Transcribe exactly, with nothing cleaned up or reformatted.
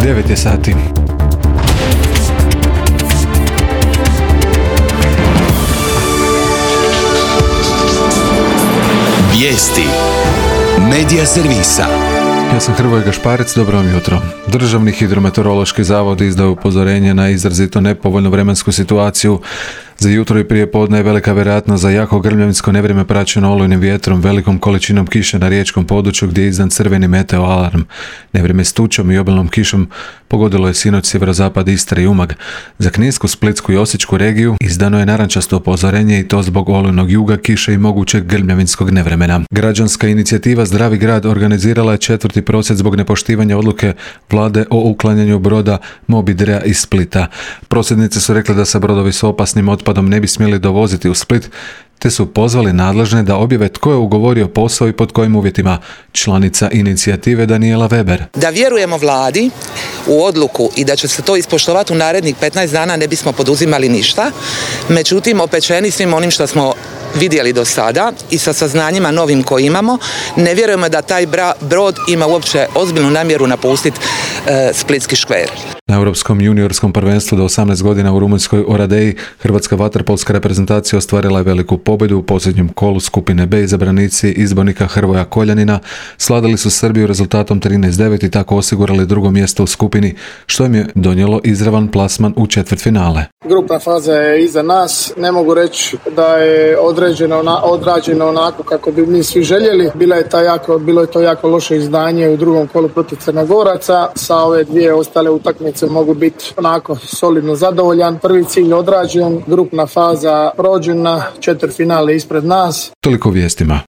devet je sati. Vijesti Medija servisa. Ja sam Hrvoje Gašparec, dobro vam jutro. Državni hidrometeorološki zavod izdao upozorenje na izrazito nepovoljnu vremensku situaciju. Za jutro i prije podne je velika vjerojatnost za jako grmljavinsko nevrijeme praćeno olujnim vjetrom, velikom količinom kiše na riječkom području gdje je izdan crveni meteo alarm. Nevrijeme s tučom i obilnom kišom pogodilo je sinoć sjeverozapad Istre i Umag. Za Kninsku, Splitsku i Osječku regiju izdano je narančasto upozorenje i to zbog olujnog juga, kiše i mogućeg grmljavinskog nevremena. Građanska inicijativa Zdravi grad organizirala je četvrti prosvjed zbog nepoštivanja odluke vlade o uklanjanju broda Mobidrea iz Splita. Prosvjednice su rekli da se brodovi s opasnim otpadom ne bi smjeli dovoziti u Split, te su pozvali nadležne da objave tko je ugovorio posao i pod kojim uvjetima. Članica inicijative Danijela Weber. Da vjerujemo vladi u odluku i da će se to ispoštovati u narednih petnaest dana, ne bismo poduzimali ništa. Međutim, opečeni svim onim što smo vidjeli do sada i sa saznanjima novim koje imamo, ne vjerujemo da taj brod ima uopće ozbiljnu namjeru napustiti e, Splitski škver. Na Europskom juniorskom prvenstvu do osamnaest godina u Rumunjskoj Oradeji hrvatska vaterpolska reprezentacija ostvarila je veliku pobjedu u posljednjem kolu skupine B. Izabranici izbornika Hrvoja Koljanina sladili su Srbiju rezultatom trinaest devet i tako osigurali drugo mjesto u skupini, što im je donijelo izravan plasman u četvrtfinale. Grupna faza je iza nas. Ne mogu reći da je određeno, odrađeno onako kako bi mi svi željeli. Bila je ta jako, bilo je to jako loše izdanje u drugom kolu protiv Crnogoraca. Sa ove dvije ostale utakmice mogu biti onako solidno zadovoljan. Prvi cilj odrađen, grupna faza prođena, četvrtfinale ispred nas. Toliko vijestima.